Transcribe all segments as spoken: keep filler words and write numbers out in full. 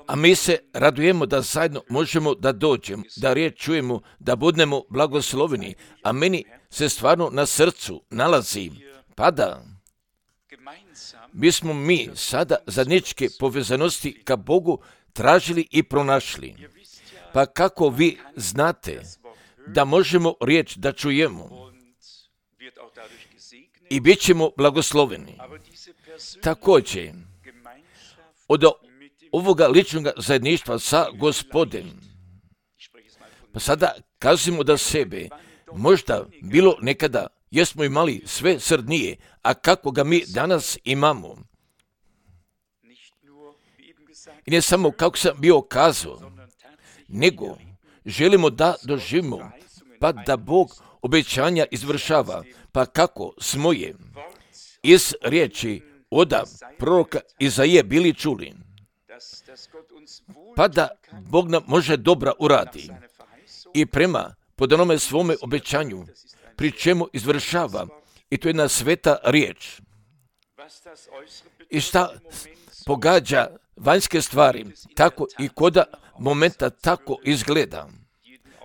A mi se radujemo da zajedno možemo da dođemo, da riječ čujemo, da budemo blagosloveni, a meni se stvarno na srcu nalazi, pada. Bismo mi sada zajedničke povezanosti ka Bogu tražili i pronašli. Pa kako vi znate da možemo riječ da čujemo i bit ćemo blagosloveni. Također, od ovoga ličnog zajedništva sa Gospodem, pa sada kazimo da sebe, možda bilo nekada, jesmo imali sve srdnije, a kako ga mi danas imamo. I ne samo kako sam bio kazao, nego želimo da doživimo, pa da Bog obećanja izvršava, pa kako smo je iz riječi oda proroka Izaije bili čuli, pa da Bog nam može dobra uradi i prema pod onome svome obećanju, pri čemu izvršava, i to je jedna sveta riječ. I šta pogađa vanjske stvari, tako i koda momenta tako izgleda.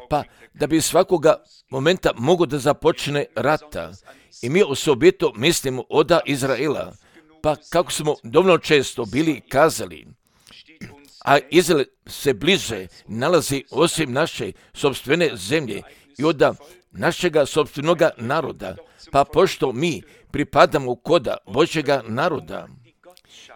Pa da bi svakoga momenta mogo da započne rata. I mi osobito mislimo oda Izraela, pa kako smo dovoljno često bili kazali, a Izrael se bliže nalazi osim naše sopstvene zemlje i oda našega sopstvenoga naroda, pa pošto mi pripadamo koda Božjega naroda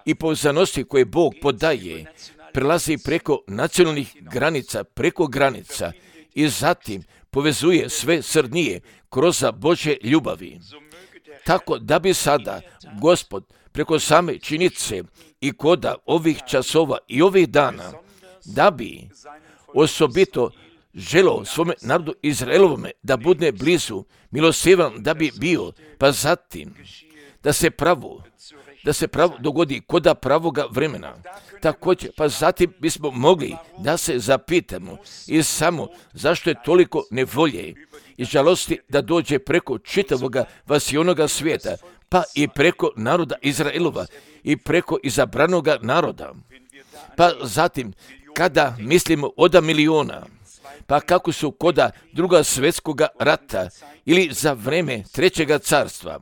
i povezanosti koje Bog podaje, prelazi preko nacionalnih granica, preko granica i zatim povezuje sve srdnije kroz Božje ljubavi. Tako da bi sada Gospod preko same činice i koda ovih časova i ovih dana, da bi osobito želio svome narodu Izraelovome da bude blizu, milosrdan da bi bio, pa zatim da se pravo, da se pravo dogodi koda pravoga vremena. Također, pa zatim bismo mogli da se zapitamo i samo zašto je toliko nevolje i žalosti da dođe preko čitavoga vasionoga svijeta, pa i preko naroda Izraelova i preko izabranoga naroda. Pa zatim, kada mislimo oda miliona, pa kako su koda druga svjetskoga rata ili za vreme trećega carstva,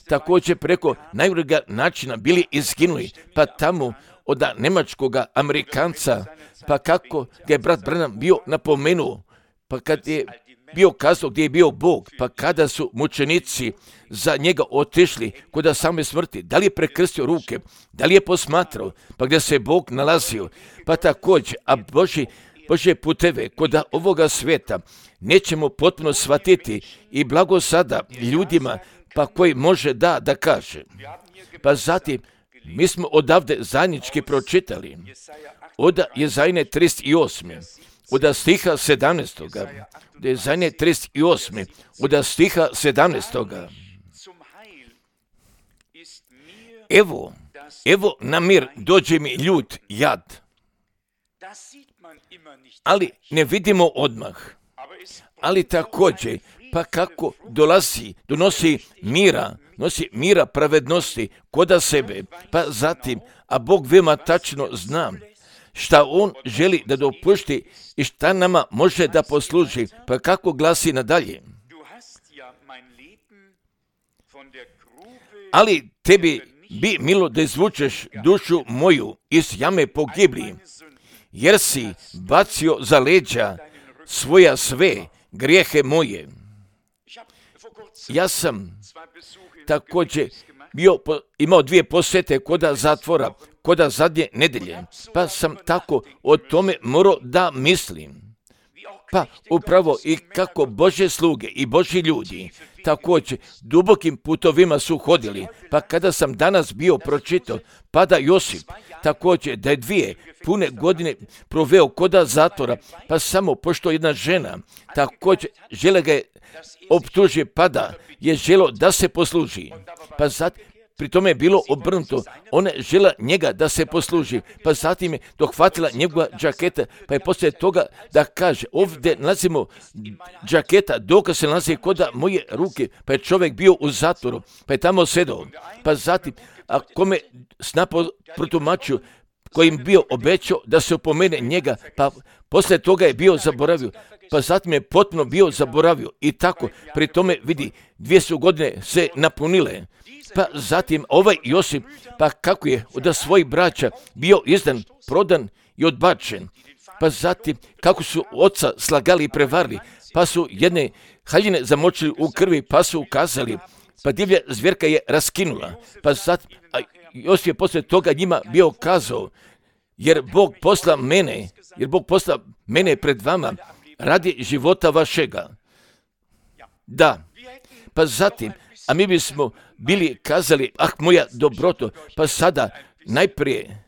također preko najgorega načina bili izginuli, pa tamo od nemačkoga Amerikanca, pa kako ga je brat Branham bio napomenuo, pa kad je bio kazao gdje je bio Bog, pa kada su mučenici za njega otišli kod same smrti, da li je prekrstio ruke, da li je posmatrao, pa gdje se Bog nalazio, pa također, a Boži, Božje puteve kod ovoga svijeta nećemo potpuno shvatiti i blago sada ljudima, pa koji može da, da kaže. Pa zatim, mi smo odavde zajednički pročitali, od Jezajne trideset osam, od stiha sedamnaestog, od Jezajne trideset osam, od stiha sedamnaestog. Evo, evo na mir dođe mi ljud jad, ali ne vidimo odmah, ali također, pa kako dolazi, donosi mira, nosi mira pravednosti koda sebe, pa zatim, a Bog veoma tačno zna šta On želi da dopušti i šta nama može da posluži, pa kako glasi nadalje. Ali tebi bi milo da izvučeš dušu moju iz jame pogibli, jer si bacio za leđa svoja sve grijehe moje. Ja sam također bio, imao dvije posjete koda zatvora, koda zadnje nedelje, pa sam tako o tome morao da mislim. Pa upravo i kako Božje sluge i Božji ljudi također dubokim putovima su hodili, pa kada sam danas bio pročitao, pa da Josip također da je dvije pune godine proveo koda zatvora, pa samo pošto jedna žena također žele ga je optuži, pa da je želo da se posluži. Pa, zat, pri tome je bilo obrnuto. Ona je žela njega da se posluži, pa zatim je dohvatila njegova džaketa, pa je poslije toga da kaže, ovdje nalazimo džaketa, dokaz se nalazi koda moje ruke, pa je čovjek bio u zatvoru, pa je tamo sedao, pa zatim, a kome snapo protumačio, kojim bio obećao da se opomene njega, pa poslije toga je bio zaboravio, pa zatim je potpuno bio zaboravio i tako, pri tome vidi, dvije su godine se napunile, pa zatim ovaj Josip, pa kako je od svojih braća bio izdan, prodan i odbačen, pa zatim kako su oca slagali i prevarili, pa su jedne haljine zamočili u krvi, pa su ukazali, pa divlja zvjerka je raskinula, pa zatim, a Josip je poslije toga njima bio kazao, jer Bog posla mene, jer Bog posla mene pred vama radi života vašega. Da, pa zatim, a mi bismo bili kazali, ah moja dobroto, pa sada najprije,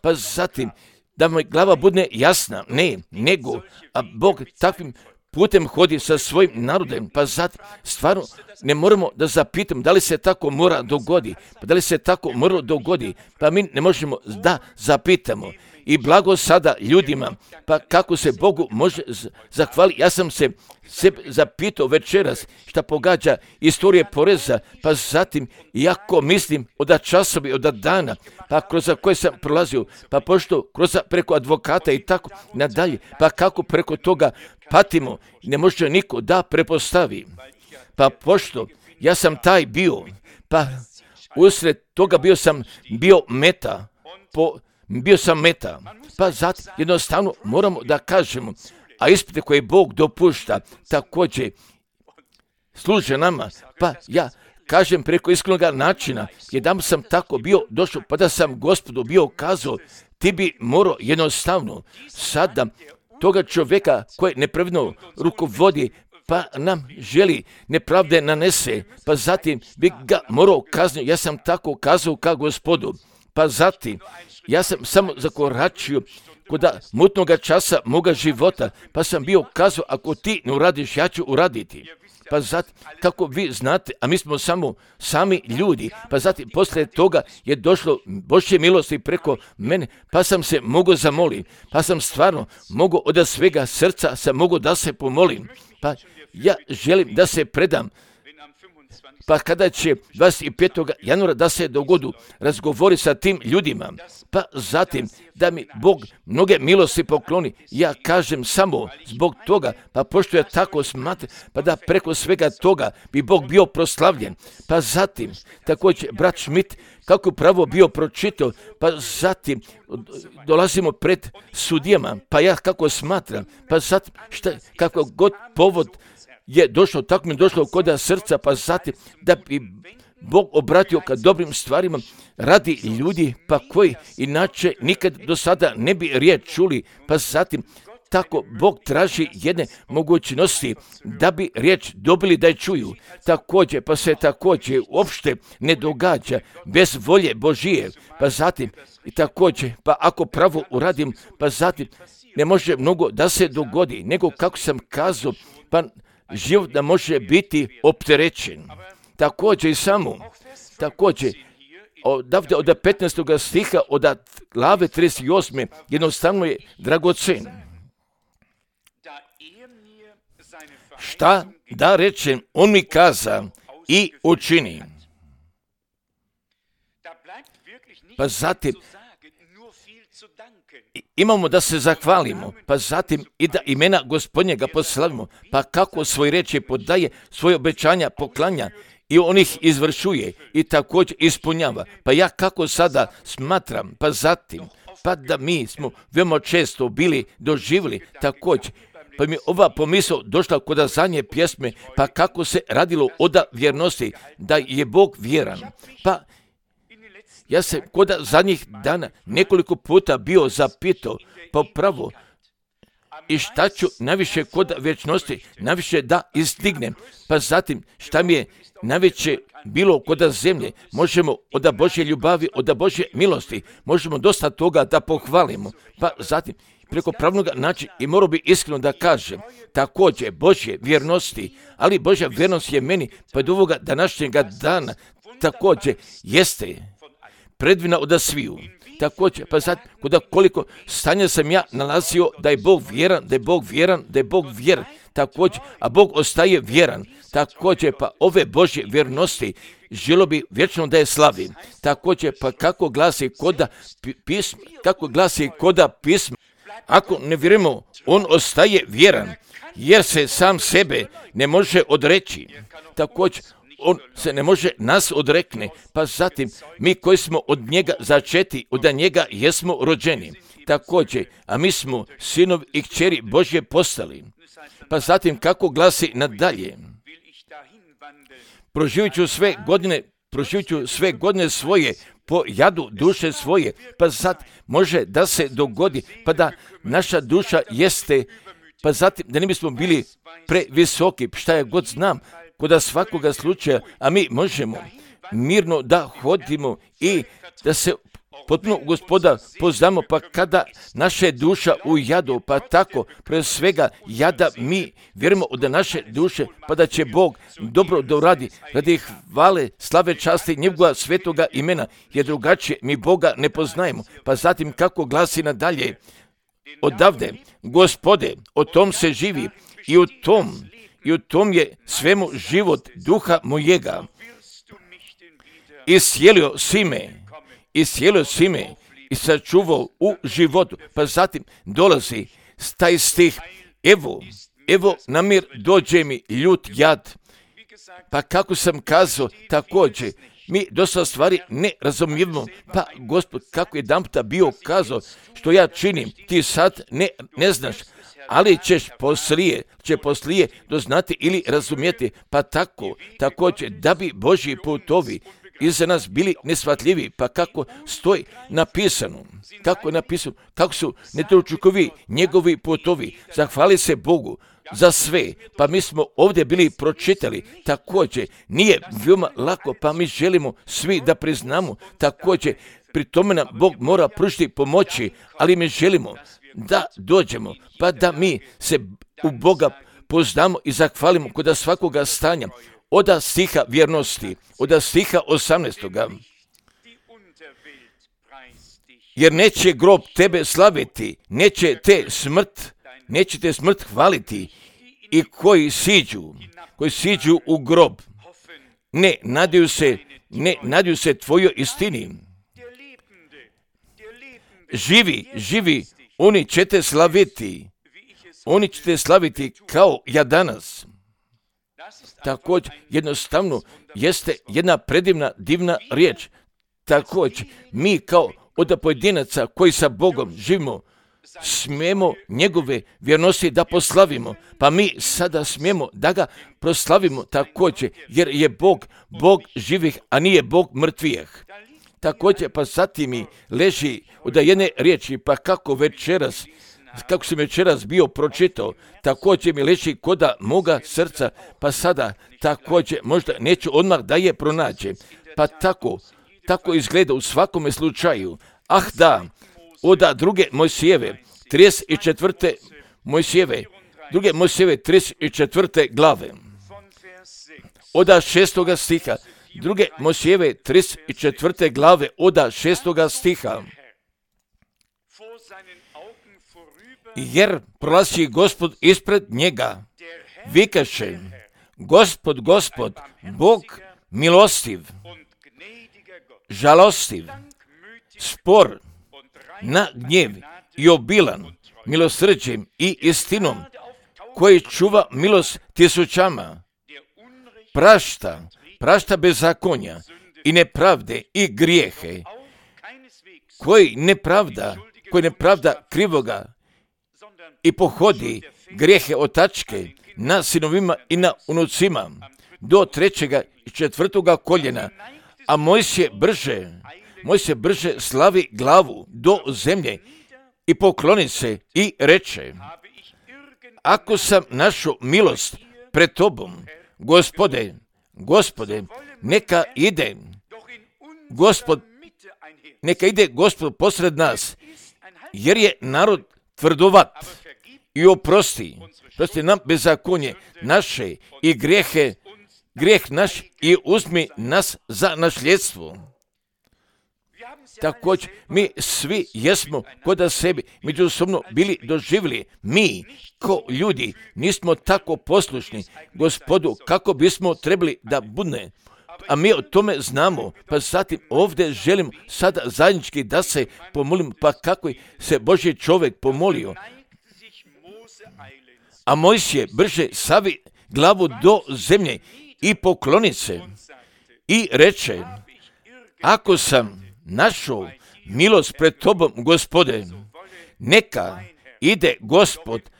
pa zatim, da mi glava bude jasna, ne, nego, a Bog takvim putem hodi sa svojim narodem, pa zatim, stvarno ne moramo da zapitamo da li se tako mora dogodi, pa da li se tako mora dogodi, pa mi ne možemo da zapitamo. I blago sada ljudima, pa kako se Bogu može zahvaliti. Ja sam se sebe zapitao večeras šta pogađa istorije poreza, pa zatim jako mislim od časovi, od dana, pa kroz koje sam prolazio, pa pošto kroz preko advokata i tako nadalje, pa kako preko toga patimo, ne može niko da prepostavi. Pa pošto ja sam taj bio, pa usred toga bio sam bio meta, po bio sam meta, pa zato jednostavno moramo da kažemo, a ispite koje Bog dopušta također služe nama, pa ja kažem preko iskrenog načina, jedan sam tako bio došao, pa da sam Gospodu bio kazao, ti bi morao jednostavno sada toga čovjeka koji nepravedno rukovodi, pa nam želi nepravde nanese, pa zatim bi ga morao kazniti. Ja sam tako kazao kao Gospodu, pa zatim ja sam samo zakoračio kod mutnoga časa moga života, pa sam bio kazao, ako ti ne uradiš, ja ću uraditi. Pa zatim, kako vi znate, a mi smo samo sami ljudi, pa zatim poslije toga je došlo Božje milosti preko mene, pa sam se mogao zamoliti, pa sam stvarno mogao od svega srca sam mogao da se pomolim, pa ja želim da se predam. Pa kada će dvadeset petog januara da se dogodu razgovori sa tim ljudima, pa zatim da mi Bog mnoge milosti pokloni, ja kažem samo zbog toga, pa pošto je tako smatra, pa da preko svega toga bi Bog bio proslavljen. Pa zatim, također brat Schmidt, kako pravo bio pročitao, pa zatim dolazimo pred sudijama, pa ja kako smatram, pa zatim šta, kako god povod je došlo, tako mi je došlo kod srca, pa zatim da bi Bog obratio ka dobrim stvarima radi ljudi, pa koji inače nikad do sada ne bi riječ čuli, pa zatim tako Bog traži jedne mogućnosti da bi riječ dobili da je čuju. Također, pa se također uopšte ne događa bez volje Božije, pa zatim i također, pa ako pravo uradim, pa zatim ne može mnogo da se dogodi, nego kako sam kazao, pa život da može biti opterećen. Također i samo, također, odavde od petnaestog stiha, od glave trideset osme jednostavno je dragocen. Šta da rečem, on mi kaza i učini. Pa zatim, imamo da se zahvalimo, pa zatim i da imena Gospodnjega poslavimo, pa kako svoj reči podaje, svoje obećanja poklanja i on ih izvršuje i također ispunjava. Pa ja kako sada smatram, pa zatim, pa da mi smo veoma često bili doživjeli također, pa mi ova pomisao došla kod zadnje pjesme, pa kako se radilo od vjernosti, da je Bog vjeran. Pa ja sam kod zadnjih dana nekoliko puta bio zapitao, pa pravo, i šta ću najviše kod vječnosti, najviše da izdignem, pa zatim šta mi je najveće bilo kod zemlje, možemo od Božje ljubavi, od Božje milosti, možemo dosta toga da pohvalimo, pa zatim preko pravnog načina i morao bi iskreno da kažem, također Božje vjernosti, ali Božja vjernost je meni pa do ovoga današnjega dana također jeste predivna od sviju. Također, pa sad, kuda koliko stanja sam ja nalazio da je Bog vjeran, da je Bog vjeran, da je Bog vjeran, također, a Bog ostaje vjeran. Također, pa ove Božje vjernosti želo bi vječno da je slavim. Također, pa kako glasi koda pisma, kako glasi koda pisma, ako ne vjerujemo, on ostaje vjeran, jer se sam sebe ne može odreći. Također, on se ne može nas odrekne, pa zatim mi koji smo od njega začeti, od njega jesmo rođeni. Također, a mi smo sinovi i kćeri Božje postali. Pa zatim kako glasi nadalje? Proživit ću sve godine, proživit ću sve godine svoje po jadu duše svoje, pa sad može da se dogodi, pa da naša duša jeste, pa zatim da ne bismo bili previsoki, šta ja god znam, kod svakoga slučaja, a mi možemo mirno da hodimo i da se potpuno Gospoda poznamo, pa kada naše duša u jadu, pa tako pre svega jada mi vjerujemo od naše duše, pa da će Bog dobro da uradi radi hvale, slave, časti njegova svetoga imena, jer drugačije mi Boga ne poznajemo. Pa zatim kako glasi nadalje, odavde, Gospode, o tom se živi i u tom I u tom je svemu život duha mojega. Iscijelio si me, iscijelio si me i sačuvao u životu. Pa zatim dolazi taj stih, evo, evo namir dođe mi ljut jad. Pa kako sam kazao, također, mi dosta stvari ne razumijemo. Pa Gospod, kako je jedanputa bio kazao, što ja činim, ti sad ne, ne znaš, ali ćeš poslije, će poslije doznati ili razumjeti, pa tako, također, da bi Božji putovi iza nas bili nesvatljivi, pa kako stoji napisano, kako je napisano, kako su nedočukovi njegovi putovi, zahvali se Bogu za sve, pa mi smo ovdje bili pročitali, također, nije veoma lako, pa mi želimo svi da priznamo, također, pri tome nam Bog mora pružiti pomoći, ali mi želimo da dođemo, pa da mi se u Boga poznamo i zahvalimo kod svakoga stanja, od stiha vjernosti, od stiha osamnaestoga. Jer neće grob tebe slaviti, neće te smrt, neće te smrt hvaliti i koji siđu, koji siđu u grob, ne nadaju se, ne nadaju se tvojoj istini. Živi, živi, oni će te slaviti, oni će te slaviti kao ja danas. Također, jednostavno, jeste jedna predivna, divna riječ. Također, mi kao od pojedinaca koji sa Bogom živimo, smijemo njegove vjernosti da poslavimo, pa mi sada smijemo da ga proslavimo također, jer je Bog, Bog živih, a nije Bog mrtvijeh. Također, pa zatim mi leži od jedne riječi, pa kako večeras, kako sam večeras bio pročitao, također mi leži koda moga srca, pa sada također možda neću odmah da je pronađem. Pa tako, tako izgleda u svakome slučaju. Ah da, oda druge Mojsijeve, trideset četvrte Mojsijeve, druge Mojsijeve trideset četvrte glave, oda šestoga stiha, druge Mojsijeve trideset četvrte glave, oda šestoga stiha. Jer prolazi Gospod ispred njega, vikaše, Gospod, Gospod, Bog milostiv, žalostiv, spor, na gnjev i obilan milosrđem i istinom, koji čuva milost tisućama, prašta, prašta bezakonja i nepravde i grijehe, koji nepravda, koji nepravda krivoga i pohodi grijehe otačke na sinovima i na unucima do trećega i četvrtoga koljena, a Mojsije brže, Mojsije brže slavi glavu do zemlje i pokloni se i reče, ako sam našao milost pred tobom, Gospode, Gospode, neka ide, Gospod, neka ide Gospod posred nas, jer je narod tvrdovat i oprosti, prosti nam bezakonje naše i grijehe, grijeh naš i uzmi nas za nasljedstvo. Također, mi svi jesmo kod sebi međusobno bili doživjeli. Mi, ko ljudi, nismo tako poslušni Gospodu kako bismo trebali da budne. A mi o tome znamo, pa zatim ovdje želim sada zajednički da se pomolim, pa kako se Božji čovjek pomolio. A Mojsije brže savi glavu do zemlje i pokloni se i reče, ako sam našao milost pred tobom, Gospode, neka ide Gospod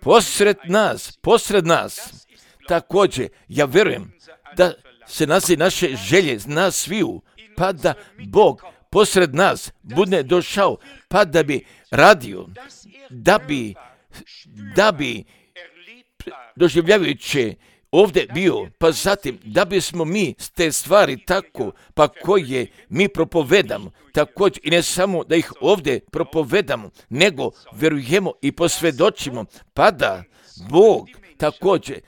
posred nas, posred nas. Također, ja vjerujem da se nazi naše želje, nas sviju, pa da Bog posred nas bude došao, pa da bi radio, da bi, da bi doživljavajući ovdje bio, pa zatim da bismo mi te stvari tako, pa koje mi propovedamo, također i ne samo da ih ovdje propovedamo, nego vjerujemo i posvjedočimo, pa da Bog također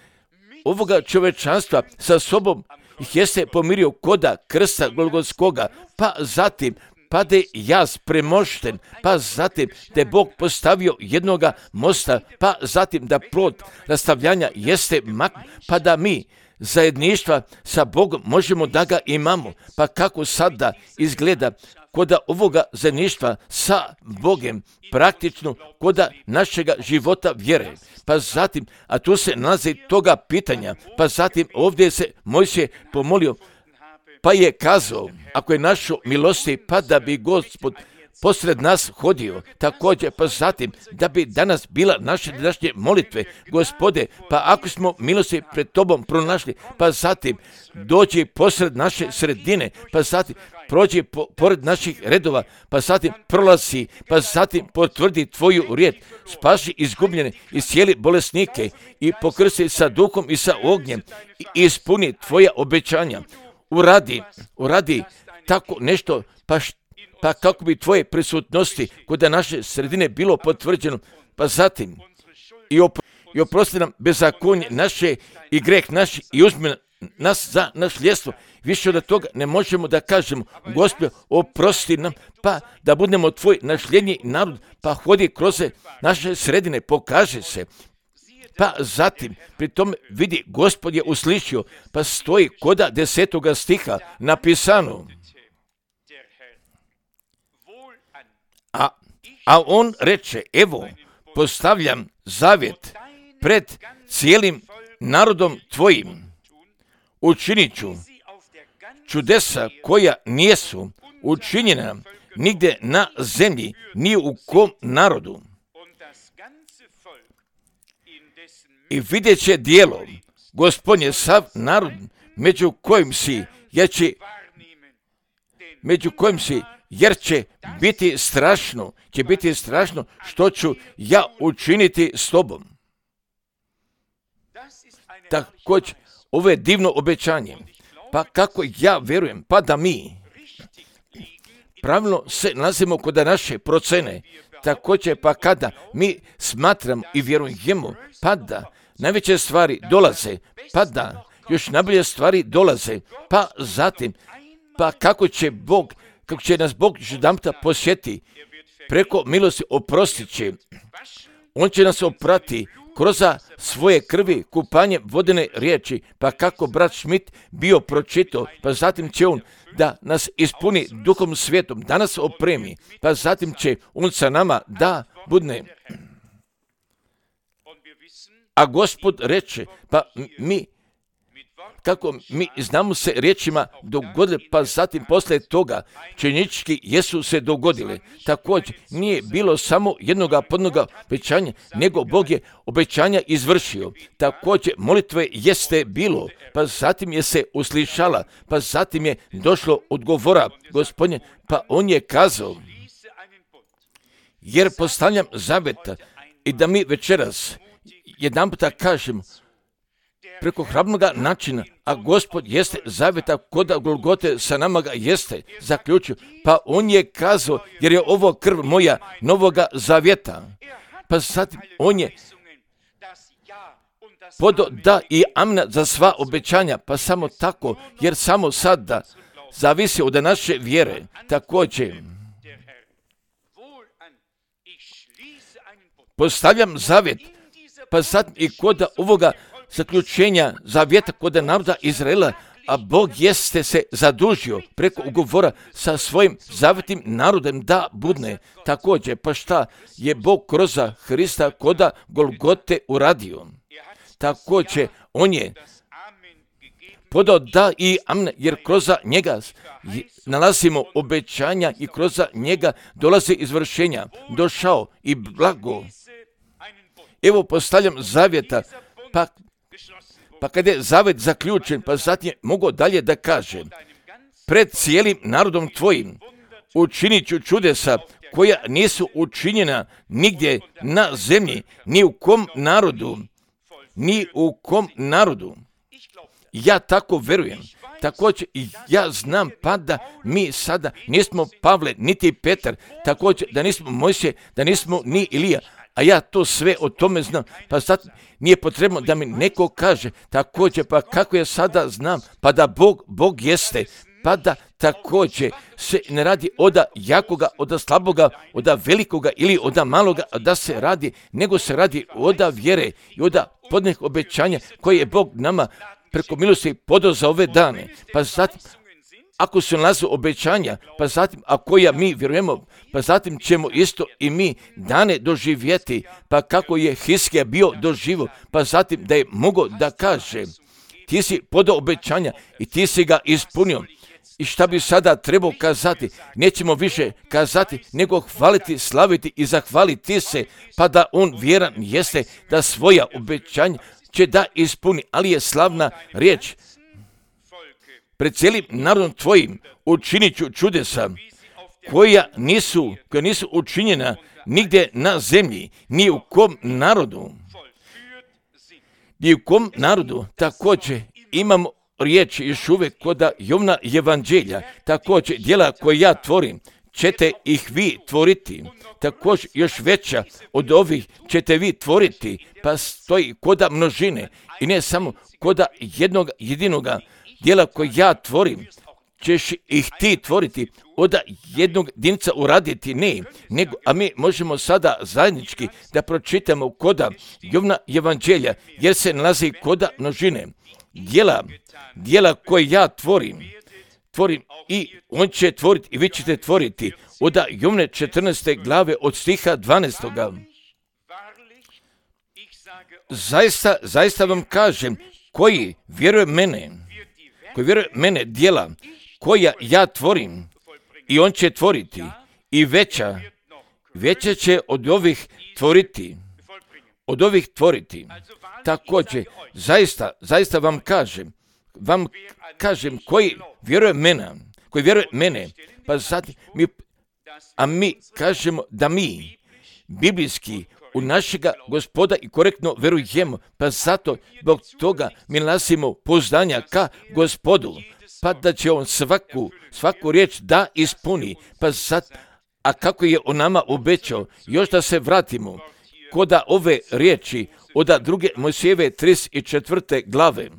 ovoga čovečanstva sa sobom ih jeste pomirio koda krsta Golgotskoga, pa zatim pa da je jaz premošten, pa zatim da je Bog postavio jednoga mosta, pa zatim da plod rastavljanja jeste mak, pa da mi zajedništva sa Bogom možemo da ga imamo. Pa kako sada izgleda koda ovoga zajedništva sa Bogom, praktično koda našega života vjere. Pa zatim, a tu se nalazi toga pitanja, pa zatim ovdje se Mojsije pomolio, pa je kazao, ako je našo milosti, pa da bi Gospod posred nas hodio, također pa zatim da bi danas bila naše današnje molitve, Gospode, pa ako smo milosti pred tobom pronašli, pa zatim dođi posred naše sredine, pa zatim prođi po, pored naših redova, pa zatim prolazi, pa zatim potvrdi tvoju riječ, spaši izgubljene i cijeli bolesnike i pokrsti sa duhom i sa ognjem i ispuni tvoja obećanja. Uradi, uradi tako nešto, pa, š, pa kako bi tvoje prisutnosti kod naše sredine bilo potvrđeno, pa zatim i, opro, i oprosti nam bezakonje naše i greh naš i uzmi nas za nasljedstvo. Više od toga ne možemo da kažemo, Gospod, oprosti nam, pa da budemo tvoj nasljednji narod, pa hodi kroz naše sredine, pokaže se. Pa zatim, pri tome vidi, Gospod je uslišio, pa stoji koda desetoga stiha napisano. A, a on reče, evo, postavljam zavjet pred cijelim narodom tvojim. Učinit ću čudesa koja nijesu učinjena nigdje na zemlji, ni u kom narodu. I vidjet će dijelo, Gospodnje, sav narod među kojim si, jer će, među kojim si, jer će biti strašno, će biti strašno što ću ja učiniti s tobom. Također, ovo je divno obećanje. Pa kako ja vjerujem, pa da mi pravilno se nalazimo kod naše procene, također pa kada mi smatramo i vjerujemo, pa da najveće stvari dolaze, pa da još najbolje stvari dolaze, pa zatim, pa kako će Bog, kako će nas Bog jedanputa posjeti, preko milosti oprostit će, on će nas oprati kroz svoje krvi, kupanje vodene riječi, pa kako brat Schmidt bio pročitao, pa zatim će on da nas ispuni Duhom Svetom, da nas opremi, pa zatim će on sa nama da budne. A Gospod reče, pa mi, kako mi znamo se riječima dogodile, pa zatim poslije toga činjenički jesu se dogodile. Također nije bilo samo jednoga podnoga obećanja, nego Bog je obećanja izvršio. Također molitve jeste bilo, pa zatim je se uslišala, pa zatim je došlo odgovora Gospodnje, pa on je kazao, jer postavljam zavjet i da mi večeras jedan puta kažem, preko hrabnoga načina, a Gospod jeste zavjeta koda Golgote sa nama ga jeste zaključio, pa on je kazao, jer je ovo krv moja novoga zavjeta. Pa zatim on je podo da i amna za sva obećanja, pa samo tako, jer samo sada zavisi od naše vjere. Također, postavljam zavjet, pa zatim i kod ovoga zaključenja zavjeta kod naroda Izraela, a Bog jeste se zadužio preko ugovora sa svojim zavjetnim narodom da budne. Također, pa šta je Bog kroz Hrista koda Golgote uradio? Također, on je podao da i amen, jer kroz njega nalazimo obećanja i kroz njega dolaze izvršenja. Došao i blago. Evo postavljam zavjeta, pa, pa kada je zavjet zaključen, pa zatim mogu dalje da kaže, pred cijelim narodom tvojim učinit ću čudesa koja nisu učinjena nigdje na zemlji, ni u kom narodu, ni u kom narodu. Ja tako verujem. Također ja znam pa da mi sada nismo Pavle niti Petar, također da nismo Mojsije, da nismo ni Ilija, a ja to sve o tome znam, pa sad nije potrebno da mi neko kaže, također pa kako ja sada znam, pa da Bog, Bog jeste, pa da također se ne radi oda jakoga, oda slaboga, oda velikoga ili oda maloga, da se radi, nego se radi oda vjere i oda podnih obećanja koje je Bog nama preko milosti podao za ove dane. Pa zatim, ako se nalaze obećanja, pa zatim, ako ja mi vjerujemo, pa zatim ćemo isto i mi dane doživjeti, pa kako je Hiskija bio doživo, pa zatim da je mogao da kaže, ti si podao obećanja i ti si ga ispunio. I šta bi sada trebao kazati? Nećemo više kazati, nego hvaliti, slaviti i zahvaliti se, pa da on vjeran jeste da svoja obećanja će da ispuni, ali je slavna riječ. Pred cijelim narodom tvojim učinit ću čudesa koja nisu, koja nisu učinjena nigdje na zemlji, ni u kom narodu. Ni u kom narodu. Također imamo riječ još uvijek kod Jovna evanđelja. Također djela koje ja tvorim, ćete ih vi tvoriti. Također još veća od ovih ćete vi tvoriti, pa stoji koda množine i ne samo koda jednog jedinoga djela koje ja tvorim, ćeš ih ti tvoriti, od jednog jedinca uraditi, ne, nego, a mi možemo sada zajednički da pročitamo koda Jovna evanđelja, jer se nalazi koda množine. Djela, djela koje ja tvorim, tvorim i on će tvoriti i vi ćete tvoriti. Od Jovne četrnaeste glave od stiha dvanaestoga. Zaista, zaista vam kažem, koji vjeruje mene, koji vjeruje mene djela koja ja tvorim i on će tvoriti i veća, veća će od ovih tvoriti, od ovih tvoriti. Također, zaista, zaista vam kažem, vam kažem koji vjeruje mene, koji vjeruje mene, pa zatim mi, a mi kažemo da mi biblijski u našega Gospoda i korektno verujemo, pa zato zbog toga mi nalazimo pouzdanja ka Gospodu, pa da će on svaku, svaku riječ da ispuni, pa sad, a kako je on nama obećao, još da se vratimo koda ove riječi od druge Mojsijeve trideset četvrte glave.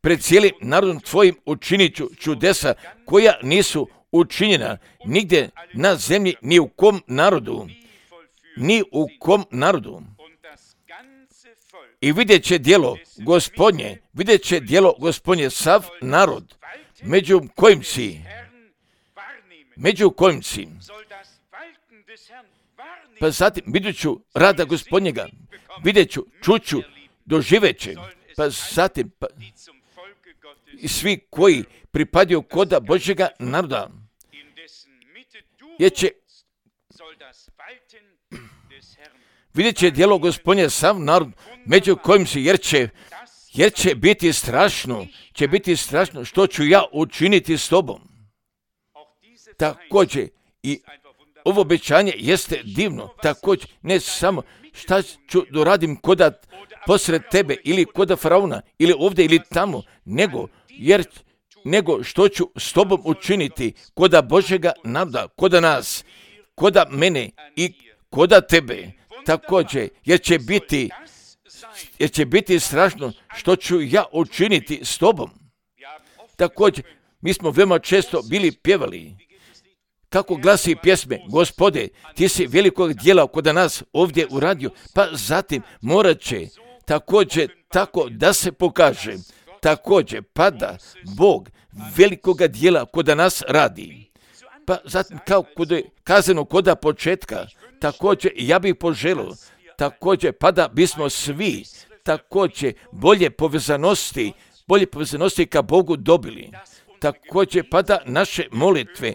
Pred cijelim narodom tvojim učinit ću čudesa koja nisu učinjena nigdje na zemlji, ni u kom narodu, ni u kom narodu. I vidjet će djelo Gospodnje, vidjet će djelo Gospodnje sav narod, među kojim si, među kojim si. Pa zatim vidjet ću rada Gospodnjega, vidjet ću, čuću, doživet će, pa zatim pa, i svi koji pripadaju koda Božjega naroda, jer će vidjet će djelo Gospodnje sav narod, među kojim si, jer će, jer će biti strašno, će biti strašno što ću ja učiniti s tobom. Također i ovo obećanje jeste divno, također ne samo šta ću da radim koda posred tebe ili koda faraona ili ovdje ili tamo, nego, jer, nego što ću s tobom učiniti koda Božjega navda, koda nas, koda mene i koda tebe. Također, jer će biti, jer će biti strašno što ću ja učiniti s tobom. Također, mi smo veoma često bili pjevali. Kako glasi pjesme, Gospode, ti si velikog djela kod nas ovdje uradio, pa zatim morat će također tako da se pokaže, također pada Bog velikoga djela kod nas radi. Pa zatim kao kod je kazano koda početka, također ja bih poželio, također pa da bismo svi također bolje povezanosti, bolje povezanosti ka Bogu dobili. Također pa da naše molitve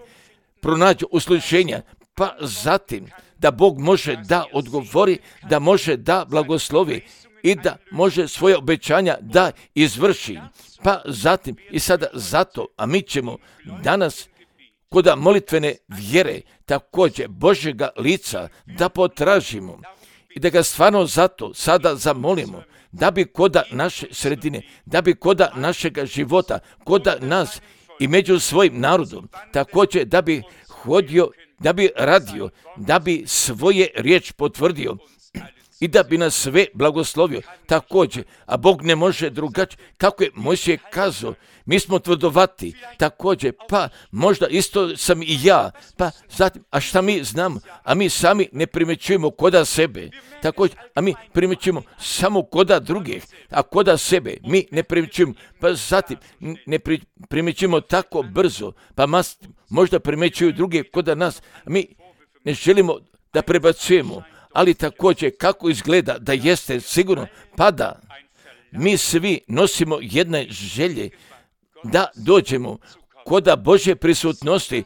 pronađu uslišenja, pa zatim da Bog može da odgovori, da može da blagoslovi i da može svoje obećanja da izvrši. Pa zatim i sada zato, a mi ćemo danas koda molitvene vjere također Božjega lica da potražimo i da ga stvarno zato sada zamolimo, da bi koda naše sredine, da bi koda našega života, koda nas i među svojim narodom, također da bi hodio, da bi radio, da bi svoje riječ potvrdio i da bi nas sve blagoslovio također, a Bog ne može drugačije, kako je Mojsije kazao, mi smo tvrdovati, također, pa možda isto sam i ja, pa zatim, a šta mi znamo, a mi sami ne primjećujemo koda sebe, također, a mi primjećujemo samo koda drugih, a koda sebe mi ne primjećujemo, pa zatim ne pri, primjećujemo tako brzo, pa mas, možda primjećuju druge koda nas, a mi ne želimo da prebacujemo, ali također kako izgleda da jeste sigurno, pa da mi svi nosimo jedne želje da dođemo koda Božje prisutnosti,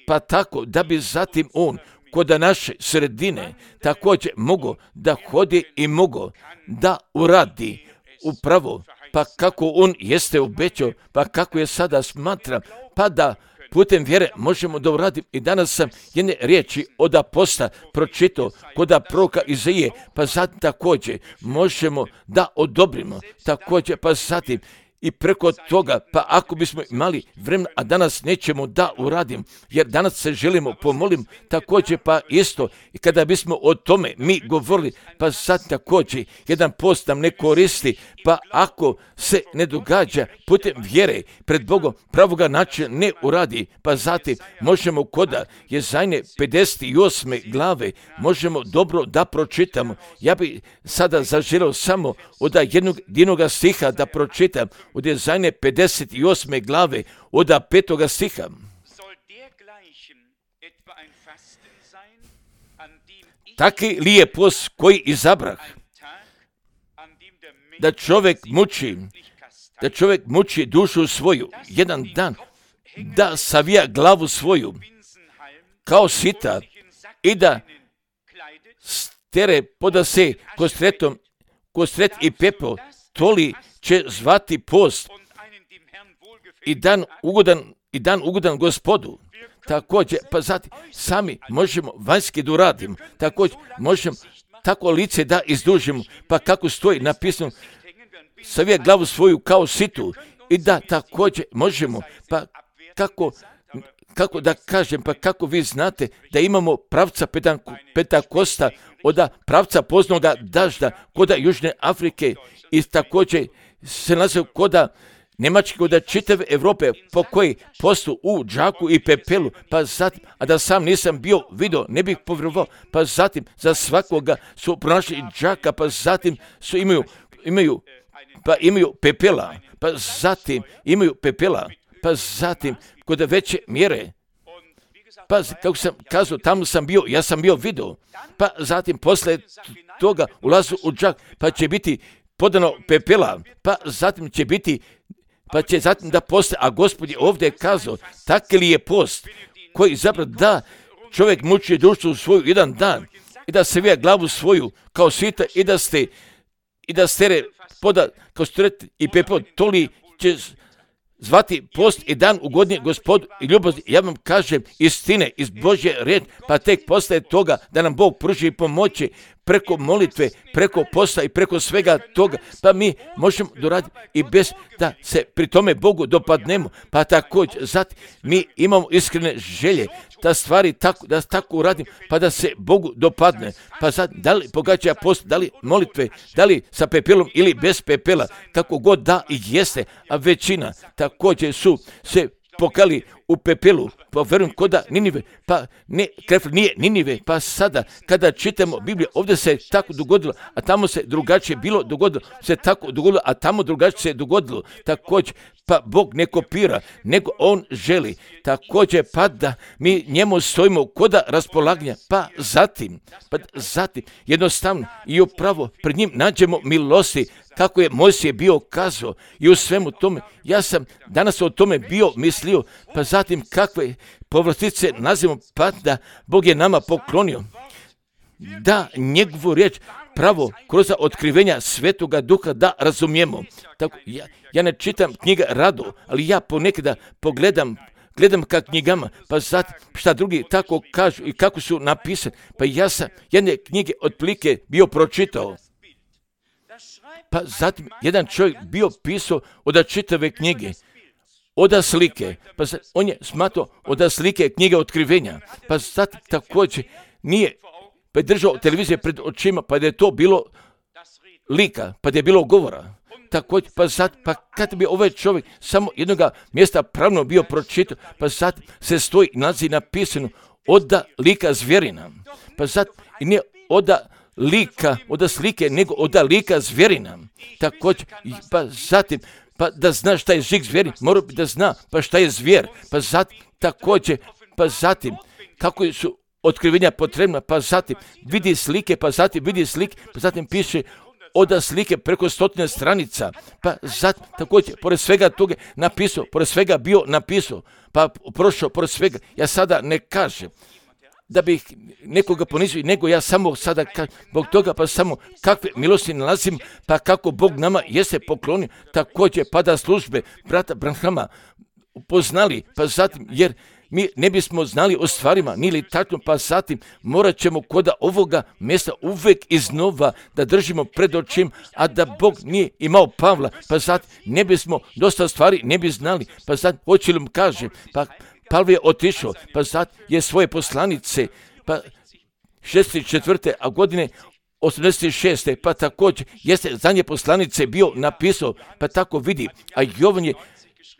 pa tako da bi zatim On koda naše sredine također mogo da hodi i mogo da uradi upravo, pa kako On jeste obećao, pa kako je sada smatram, pa da putem vjere možemo da uradimo. I danas sam jedne riječi od aposta pročitao koda proroka Izaije, pa zatim također možemo da odobrimo, također pa zatim i preko toga, pa ako bismo imali vremena, a danas nećemo da uradim, jer danas se želimo pomolim, također pa isto, i kada bismo o tome mi govorili, pa sad također jedan post nam ne koristi, pa ako se ne događa putem vjere pred Bogom pravoga načina ne uradi, pa zatim možemo koda Jezajne pedeset osme glave, možemo dobro da pročitamo. Ja bi sada zaželio samo od jednog jednog stiha da pročitam, od Jezajne pedeset osme glave, od petoga stiha. Taki li je post koji izabrah, da čovjek muči, da čovjek muči dušu svoju, jedan dan, da savija glavu svoju, kao sita, i da stere poda se kostretom, kostret i pepeo, toli će zvati post i dan ugodan, i dan ugodan Gospodu. Također, pa zatim sami možemo vanjski da uradimo, također možemo tako lice da izdužimo, pa kako stoji napisano, savija glavu svoju kao situ, i da također možemo, pa kako, kako da kažem, pa kako vi znate da imamo pravca Pentakosta od pravca poznoga dažda koda Južne Afrike i također se nalazi koda Njemačke, koda čitave Evrope po koji postu u džaku i pepelu, pa zatim, a da sam nisam bio vidio, ne bih povjerovao, pa zatim za svakoga su pronašli džaka, pa zatim su imaju, imaju, pa imaju pepela, pa zatim imaju pepela, pa zatim kod veće mjere, pa kako sam kazao, tamo sam bio, ja sam bio vidio, pa zatim posle toga ulazu u džak, pa će biti podano pepela, pa zatim će biti, pa će zatim da poste, a Gospod je ovdje kazao, taki li je post koji zapravo da čovjek muči dušu svoju jedan dan i da se vija glavu svoju kao svita i da ste i da stere poda kao stret i pepeo, toli će zvati post i dan ugodnije Gospodu i ljubav, ja vam kažem istine iz Božje riječi, pa tek postaje toga da nam Bog pruži pomoći preko molitve, preko posta i preko svega toga, pa mi možemo doraditi i bez da se pri tome Bogu dopadnemo, pa također zatim mi imamo iskrene želje da stvari tako, da tako uradim, pa da se Bogu dopadne, pa sad da li pogađa post, da li molitve, da li sa pepelom ili bez pepela, kako god da i jeste, a većina također su se pokali u pepelu, pa verujem koda Ninive, pa ne, Krefl nije Ninive, pa sada kada čitamo Bibliju, ovdje se tako dogodilo, a tamo se drugačije bilo dogodilo, se tako dogodilo, a tamo drugačije se dogodilo, također, pa Bog ne kopira, nego On želi, također, pa da mi njemu stojimo koda raspolaganja, pa zatim, pa zatim, jednostavno i upravo pred njim nađemo milosti, kako je Mojsije bio kazao i u svemu tome, ja sam danas o tome bio mislio, pa zatim kakve povlastice nazivamo, pa da Bog je nama poklonio, da njegovu riječ pravo kroz otkrivenja Svetoga Duha da razumijemo. Tako, ja, ja ne čitam knjige rado, ali ja ponekada pogledam Gledam ka knjigama, pa zatim šta drugi tako kažu i kako su napisani, pa ja sam jedne knjige otprilike bio pročitao. Pa zatim jedan čovjek bio pisao od čitave knjige, od slike, pa zatim, on je smatrao od slike knjige otkrivenja, pa zatim također nije pa je držao televizije pred očima, pa da je to bilo lika, pa da je bilo govora. Također, pa zatim, pa kad bi ovaj čovjek samo jednoga mjesta pravno bio pročitao, pa zatim se stoji nalazi napisano oda lika zvjerina, pa zatim i nije oda lika, oda slike, nego oda lika zvjerina. Također, pa zatim, pa da zna šta je žig zvjeri, mora bi da zna, pa šta je zvjer, pa zatim, također, pa zatim, kako su otkrivenja potrebna, pa zatim vidi slike, pa zatim vidi slike, pa zatim piše oda slike preko stotine stranica, pa zatim također, pored svega toga napisao, pored svega bio napisao, pa prošao pored svega, ja sada ne kažem da bih nekoga ponizio, nego ja samo sada kažem, zbog toga pa samo kakve milosti nalazim, pa kako Bog nama jeste poklonio, također pa da službe brata Branhama upoznali, pa zatim, jer mi ne bismo znali o stvarima, nili tačno, pa zatim morat ćemo koda ovoga mjesta uvijek iznova da držimo pred očim, a da Bog nije imao Pavla, pa zatim ne bismo dosta stvari ne bi znali, pa zatim hoće li mu kaže, pa Pavle je otišao, pa zatim je svoje poslanice, pa šezdeset četvrte a godine osamdeset šeste pa također jeste zadnje poslanice bio napisao, pa tako vidi, a Jovan je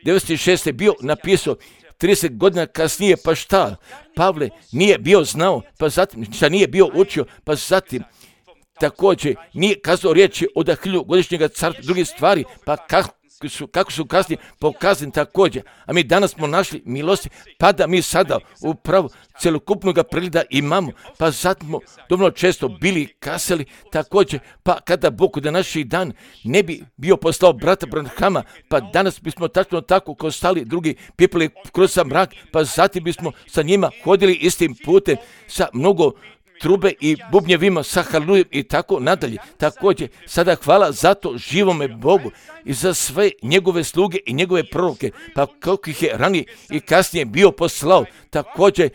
devedeset šeste bio napisao, trideset godina kasnije, pa šta? Pavle nije bio znao, pa zatim šta nije bio učio, pa zatim također nije kazao riječi od hiljugodišnjega carstva, druge stvari, pa kako su, kako su kasnije pokazani također. A mi danas smo našli milosti, pa da mi sada upravo celokupnog pregleda imamo, pa zatim smo dovoljno često bili kasali također, pa kada Bog da naši dan ne bi bio poslao brata Branhama, pa danas bismo tačno tako kao stali drugi pipali kroz sam mrak, pa zatim bismo sa njima hodili istim putem sa mnogo trube i bubnjevima sa halujom i tako nadalje. Također, sada hvala zato živome Bogu i za sve njegove sluge i njegove proroke, pa kako ih je ranije i kasnije bio poslao, također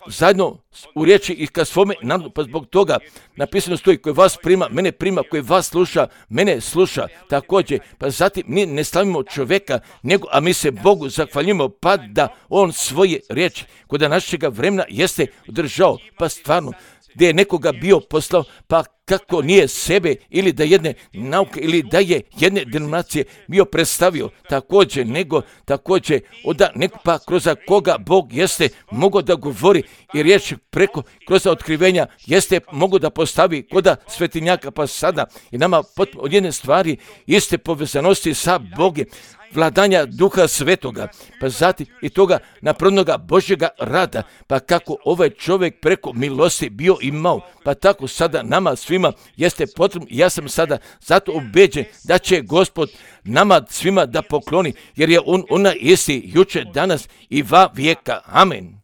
zajedno u riječi i ka svome narodu, pa zbog toga napisano stoji koji vas prima, mene prima, koji vas sluša, mene sluša, također, pa zatim mi ne slavimo čovjeka, nego, a mi se Bogu zahvaljujemo, pa da on svoje riječi kod našega vremena jeste održao, pa stvarno, gdje je nekoga bio poslao, pa kako nije sebe ili da jedne nauke ili da je jedne denominacije bio predstavio također, nego također oda neko pa kroz koga Bog jeste mogao da govori i riječ preko kroz otkrivenja jeste mogao da postavi koda svetinjaka, pa sada i nama potpuno od jedne stvari iste povezanosti sa Bogom, vladanja Duha Svetoga, pa zatim i toga napravnoga Božjega rada, pa kako ovaj čovjek preko milosti bio imao, pa tako sada nama svima jeste potrebno, ja sam sada zato ubeđen da će Gospod nama svima da pokloni, jer je on ona isti jučer, danas i va vijeka. Amen.